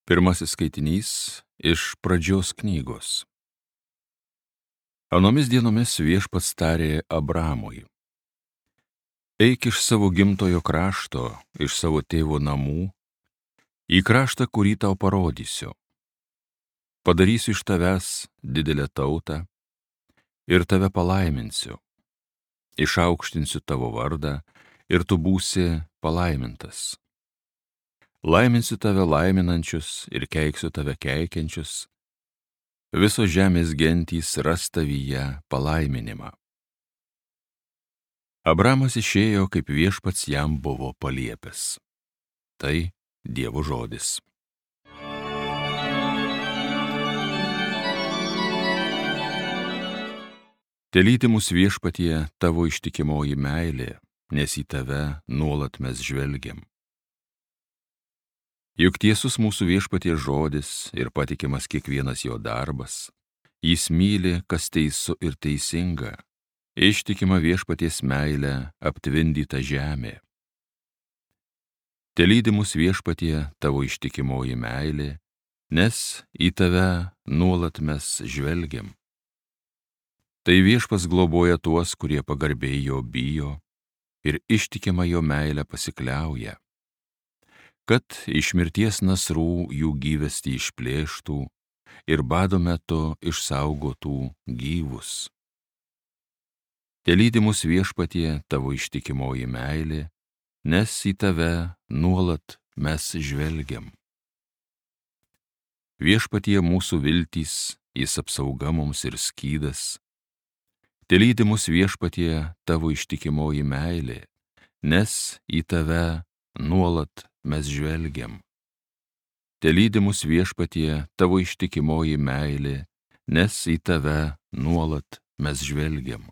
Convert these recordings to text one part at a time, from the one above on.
Pirmasis skaitinys iš Pradžios knygos. Anomis dienomis Viešpats tarė Abramui: Eik iš savo gimtojo krašto, iš savo tėvo namų, į kraštą, kurį tau parodysiu. Padarysiu iš tavęs didelę tautą ir tave palaiminsiu. Išaukštinsiu tavo vardą ir tu būsi palaimintas. Laiminsiu tave laiminančius ir keiksiu tave keikiančius. Visos žemės gentys ras tavyje palaiminimą. Abramas išėjo, kaip Viešpats jam buvo paliepęs. Tai Dievo žodis. Telydi mus Viešpatie tavo ištikimoji meilė, nes į tave nuolat mes žvelgiam. Juk tiesus mūsų Viešpaties žodis ir patikimas kiekvienas jo darbas. Jis myli, kas teisu ir teisinga, ištikima Viešpaties meilė aptvindyta žemė. Telydi mus Viešpatie tavo ištikimoji meilė, nes į tave nuolat mes žvelgiam. Tai Viešpats globoja tuos, kurie pagarbiai jo bijo ir ištikima jo meilę pasikliauja, kad iš mirties nasrų jų gyvastį išplėštų ir bado metu išsaugotų gyvus. Telydi mus Viešpatie tavo ištikimoji meilė, nes į tave nuolat mes žvelgiam. Viešpatie mūsų viltys, jis apsauga mums ir skydas. Telydi mus Viešpatie tavo ištikimoji meilė, nes į tave nuolat mes žvelgiam. Telydi mus Viešpatie tavo ištikimoji meilė, nes į tave nuolat mes žvelgiam.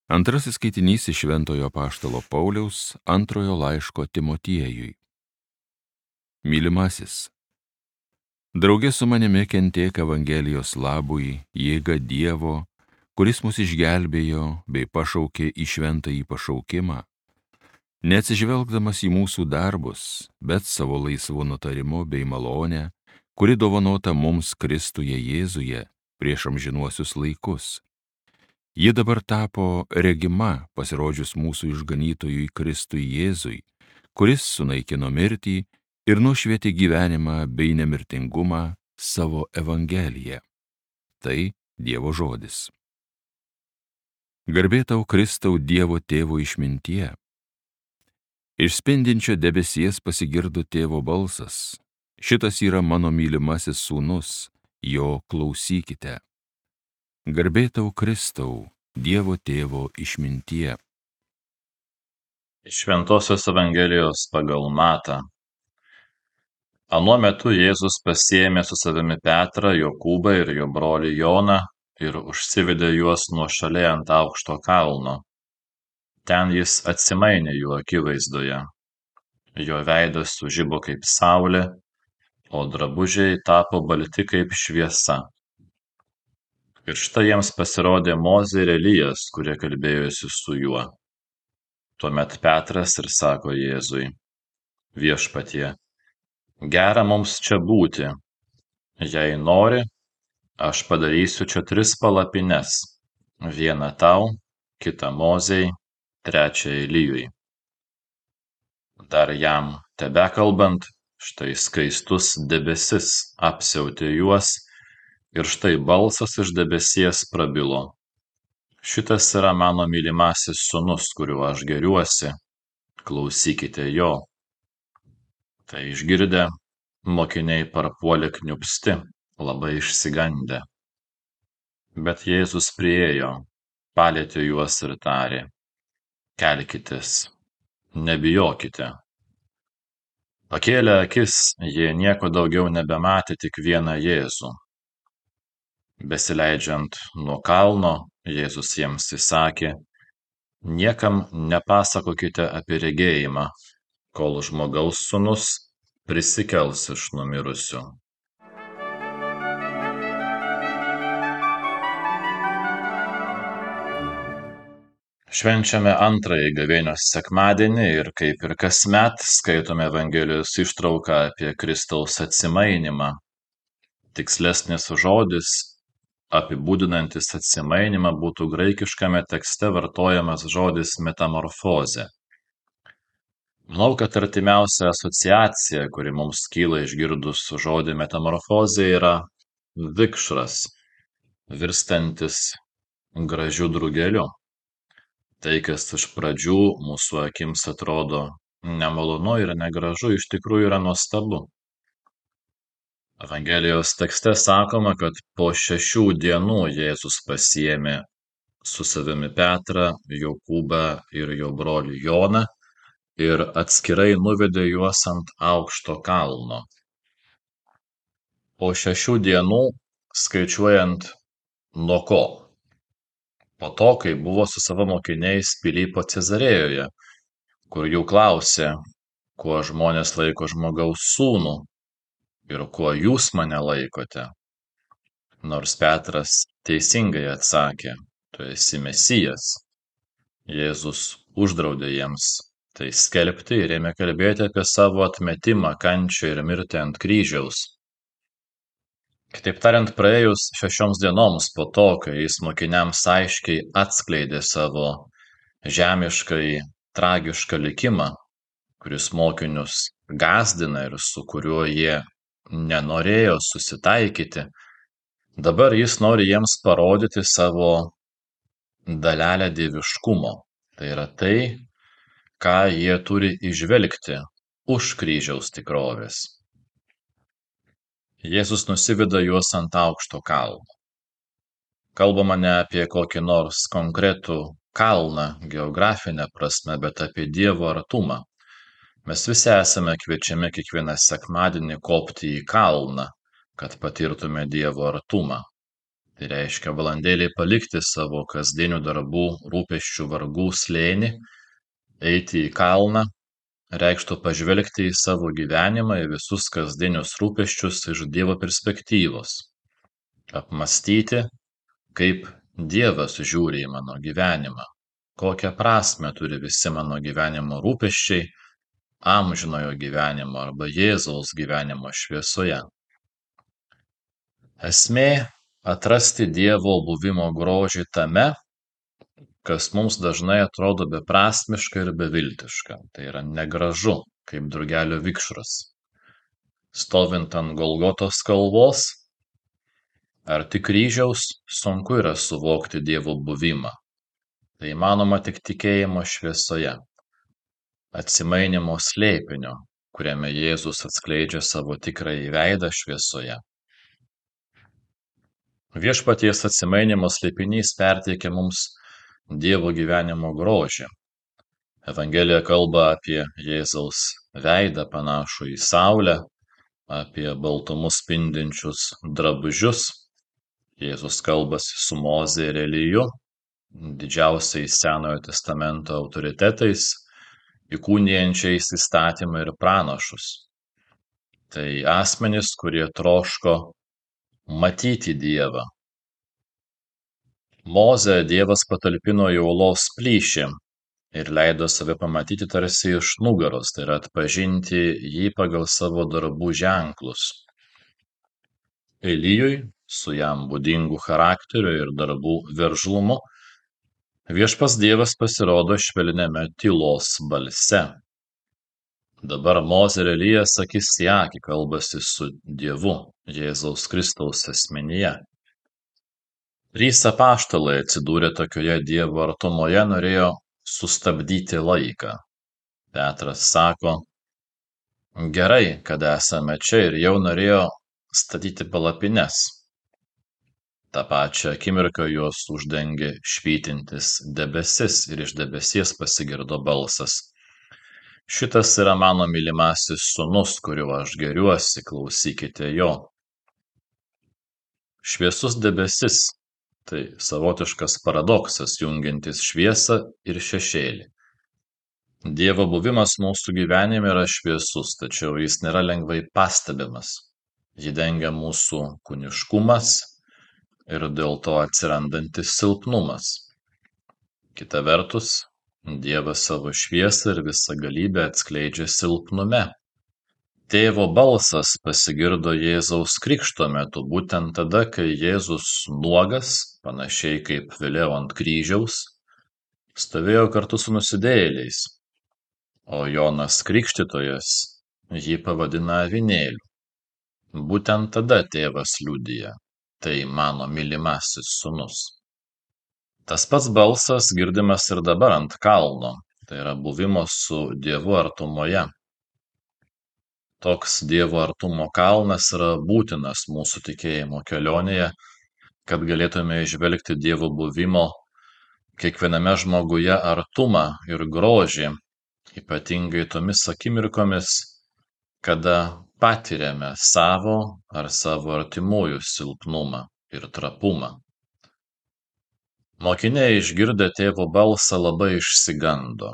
Antrasis skaitinys iš Šventojo apaštalo Pauliaus antrojo laiško Timotiejui. Mylimasis, drauge su manimi kentėk Evangelijos labui, jėga Dievo, kuris mus išgelbėjo bei pašaukė į šventąjį pašaukimą, neatsižvelgdamas į mūsų darbus, bet savo laisvu nutarimu bei malonę, kuri dovanota mums Kristuje Jėzuje prieš amžinuosius laikus. Ji dabar tapo regima pasirodžius mūsų išganytojui Kristui Jėzui, kuris sunaikino mirtį ir nušvietė gyvenimą bei nemirtingumą savo Evangeliją. Tai Dievo žodis. Garbė tau, Kristau, Dievo tėvo išmintie. Iš spindinčio debesies pasigirdo tėvo balsas. Šitas yra mano mylimasis sūnus, jo klausykite. Garbė tau, Kristau, Dievo tėvo išmintie. Iš Šventosios Evangelijos pagal Matą. Anuo metu Jėzus pasiėmė su savimi Petrą, Jokūbą ir jo brolį Joną ir užsivedė juos nuošaliai ant aukšto kalno. Ten jis atsimainė jų akivaizdoje. Jo veidas sužibo kaip saulė, o drabužiai tapo balti kaip šviesa. Ir štai jiems pasirodė Mozė ir Elijas, kurie kalbėjosi su juo. Tuomet Petras ir sako Jėzui: Viešpatie, gera mums čia būti. Jei nori, aš padarysiu čia 3 palapines, vieną tau, kitą Mozei, trečią Elijui. Dar jam tebekalbant, štai skaistus debesis apsiautė juos, ir štai balsas iš debesies prabilo: Šitas yra mano mylimasis sūnus, kuriuo aš gėriuosi, klausykite jo. Tai išgirdę, mokiniai parpuolė kniūbsti, labai išsigandę. Bet Jėzus priėjo, palietė juos ir tarė: Kelkitės, nebijokite. Pakėlę akis, jie nieko daugiau nebematė, tik vieną Jėzų. Besileidžiant nuo kalno, Jėzus jiems įsakė: Niekam nepasakokite apie regėjimą, kol žmogaus sūnus prisikels iš numirusių. Švenčiame antrąjį gavėnios sekmadienį ir kaip ir kasmet skaitome Evangelijos ištrauką apie Kristaus atsimainimą. Tikslesnis žodis, apibūdinantis atsimainimą, būtų graikiškame tekste vartojamas žodis metamorfozė. Manau, kad artimiausia asociacija, kuri mums kyla išgirdus žodį metamorfozė, yra vikšras, virstantis gražiu drugeliu. Tai, kas iš pradžių mūsų akims atrodo nemalonu ir negražu, iš tikrųjų yra nuostabu. Evangelijos tekste sakoma, kad po 6 dienų Jėzus pasiėmė su savimi Petrą, Jokūbą ir jo brolį Joną ir atskirai nuvedė juos ant aukšto kalno. Po 6 dienų, skaičiuojant nuo ko? Po to, kai buvo su savo mokiniais Pilypo Cezarėjoje, kur jų klausė, kuo žmonės laiko Žmogaus sūnų ir kuo jūs mane laikote. Nors Petras teisingai atsakė, tu esi Mesijas, Jėzus uždraudė jiems tai skelbti ir ėmė kalbėti apie savo atmetimą, kančią ir mirtį ant kryžiaus. Kitaip tariant, praėjus 6 dienoms po to, kai jis mokiniams aiškiai atskleidė savo žemiškai tragišką likimą, kuris mokinius gąsdina ir su kuriuo jie nenorėjo susitaikyti, dabar jis nori jiems parodyti savo dalelę dieviškumo. Tai yra tai, ką jie turi įžvelgti už kryžiaus tikrovės. Jėzus nusiveda juos ant aukšto kalno. Kalbama ne apie kokį nors konkretų kalną geografinę prasme, bet apie Dievo artumą. Mes visi esame kviečiami kiekvieną sekmadienį kopti į kalną, kad patirtume Dievo artumą. Tai reiškia valandėlį palikti savo kasdienių darbų, rūpesčių, vargų slėnį, eiti į kalną, reikštų pažvelgti į savo gyvenimą, į visus kasdienius rūpesčius iš Dievo perspektyvos, apmąstyti, kaip Dievas žiūri į mano gyvenimą, kokią prasmę turi visi mano gyvenimo rūpesčiai amžinojo gyvenimo arba Jėzaus gyvenimo šviesoje. Esmė – atrasti Dievo buvimo grožį tame, kas mums dažnai atrodo beprasmiška ir beviltiška. Tai yra negražu, kaip drugelio vikšras. Stovint ant Golgotos kalvos, arti kryžiaus, sunku yra suvokti Dievo buvimą. Tai įmanoma tik tikėjimo šviesoje, atsimainimo slėpinio, kuriame Jėzus atskleidžia savo tikrąjį veidą šviesoje. Viešpaties atsimainimo slėpinys perteikia mums Dievo gyvenimo grožį. Evangelija kalba apie Jėzaus veidą panašų į saulę, apie baltumus spindinčius drabužius. Jėzus kalbasi su Moze ir Eliju, didžiausiais Senojo testamento autoritetais, įkūnijančiais įstatymą ir pranašus. Tai asmenys, kurie troško matyti Dievą. Mozę Dievas patalpino į uolos plyšį ir leido save pamatyti tarsi iš nugaros, tai yra atpažinti jį pagal savo darbų ženklus. Elijui, su jam būdingu charakteriu ir darbų veržlumu, viešpats Dievas pasirodo švelniame tylos balse. Dabar Mozė ir Elijas akis į akį kalbasi su Dievu, Jėzaus Kristaus asmenyje. 3 apaštalai atsidūrę tokioje Dievo artumoje norėjo sustabdyti laiką. Petras sako, gerai, kad esame čia, ir jau norėjo statyti palapines. Ta pačia akimirką juos uždengė švytintis debesis ir iš debesies pasigirdo balsas. Šitas yra mano mylimasis sūnus, kuriuo aš geriuosi, klausykite jo. Šviesus debesis – tai savotiškas paradoksas jungiantis šviesą ir šešėlį. Dievo buvimas mūsų gyvenime yra šviesus, tačiau jis nėra lengvai pastebimas. Jį dengia mūsų kūniškumas ir dėl to atsirandantis silpnumas. Kita vertus, Dievas savo šviesą ir visagalybę atskleidžia silpnume. Tėvo balsas pasigirdo Jėzaus krikšto metu būtent tada, kai Jėzus nuogas, panašiai kaip vėliau ant kryžiaus, stovėjo kartu su nusidėjėliais, o Jonas Krikštytojas jį pavadina avinėliu. Būtent tada tėvas liudija: tai mano mylimasis sūnus. Tas pats balsas girdimas ir dabar ant kalno, tai yra buvimo su Dievu artumoje. Toks Dievo artumo kalnas yra būtinas mūsų tikėjimo kelionėje, kad galėtume įžvelgti Dievo buvimo kiekviename žmoguje artumą ir grožį, ypatingai tomis akimirkomis, kada patiriame savo ar savo artimųjų silpnumą ir trapumą. Mokiniai išgirdę tėvo balsą labai išsigando.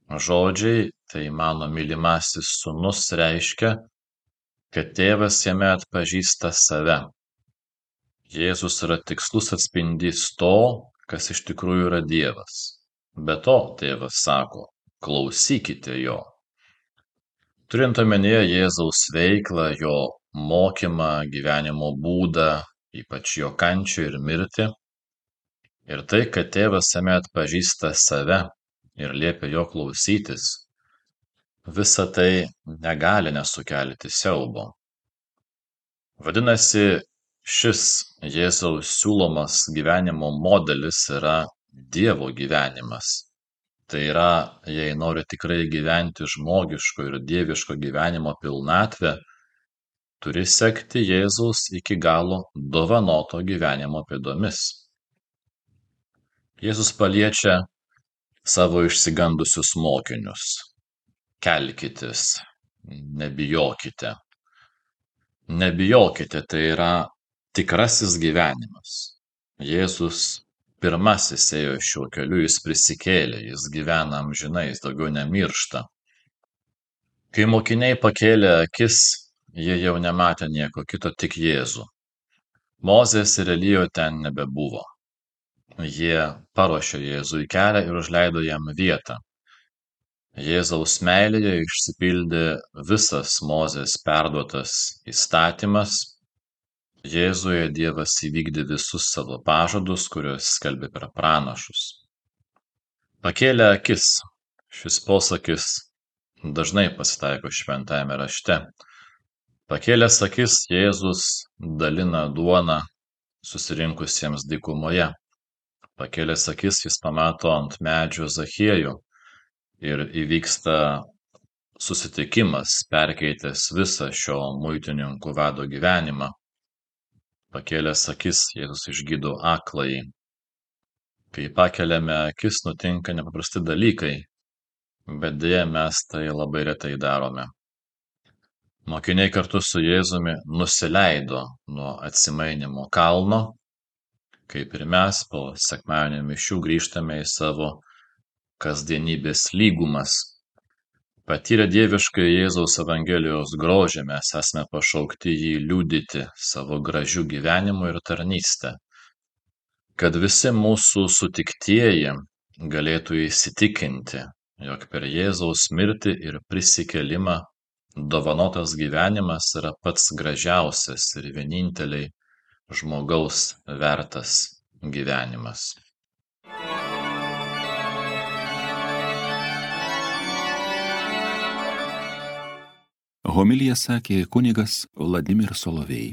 Žodžiai "tai mano mylimasis sūnus" reiškia, kad tėvas jame atpažįsta save. Jėzus yra tikslus atspindys to, kas iš tikrųjų yra Dievas. Be to, tėvas sako: klausykite jo. Turint omenyje Jėzaus veiklą, jo mokymą, gyvenimo būdą, ypač jo kančią ir mirtį, ir tai, kad tėvas jame atpažįsta save ir liepia jo klausytis, visa tai negali nesukelti siaubo. Vadinasi, šis Jėzaus siūlomas gyvenimo modelis yra Dievo gyvenimas. Tai yra, jei nori tikrai gyventi žmogiško ir dieviško gyvenimo pilnatvę, turi sekti Jėzaus iki galo dovanoto gyvenimo pėdomis. Jėzus paliečia savo išsigandusius mokinius: kelkitės, nebijokite. Nebijokite, tai yra tikrasis gyvenimas. Jėzus pirmasis ėjo šiuo keliu, jis prisikėlė, jis gyvena amžinai, jis daugiau nemiršta. Kai mokiniai pakėlė akis, jie jau nematė nieko kito, tik Jėzų. Mozės ir Elijo ten nebebuvo. Jie paruošė Jėzui kelią ir užleido jam vietą. Jėzaus meilėje išsipildė visas Mozės perduotas įstatymas. Jėzuje Dievas įvykdė visus savo pažadus, kuriuos skelbė per pranašus. Pakėlė akis. Šis posakis dažnai pasitaiko šventajame rašte. Pakėlęs akis, Jėzus dalina duoną susirinkusiems dykumoje. Pakėlęs akis, jis pamato ant medžio Zachiejų ir įvyksta susitikimas, perkeitęs visą šio muitininkų vado gyvenimą. Pakėlęs akis, Jėzus išgydo akląjį. Kai pakeliame akis, nutinka nepaprasti dalykai, bet deja mes tai labai retai darome. Mokiniai kartu su Jėzumi nusileido nuo atsimainymo kalno, kaip ir mes po sekmadienio mišių grįžtame į savo kasdienybės lygumas. Patyrę dievišką Jėzaus Evangelijos grožį, mes esame pašaukti jį liudyti savo gražiu gyvenimu ir tarnyste, kad visi mūsų sutiktieji galėtų įsitikinti, jog per Jėzaus mirtį ir prisikėlimą dovanotas gyvenimas yra pats gražiausias ir vieninteliai žmogaus vertas gyvenimas. Homiliją sakė kunigas Vladimir Solovej.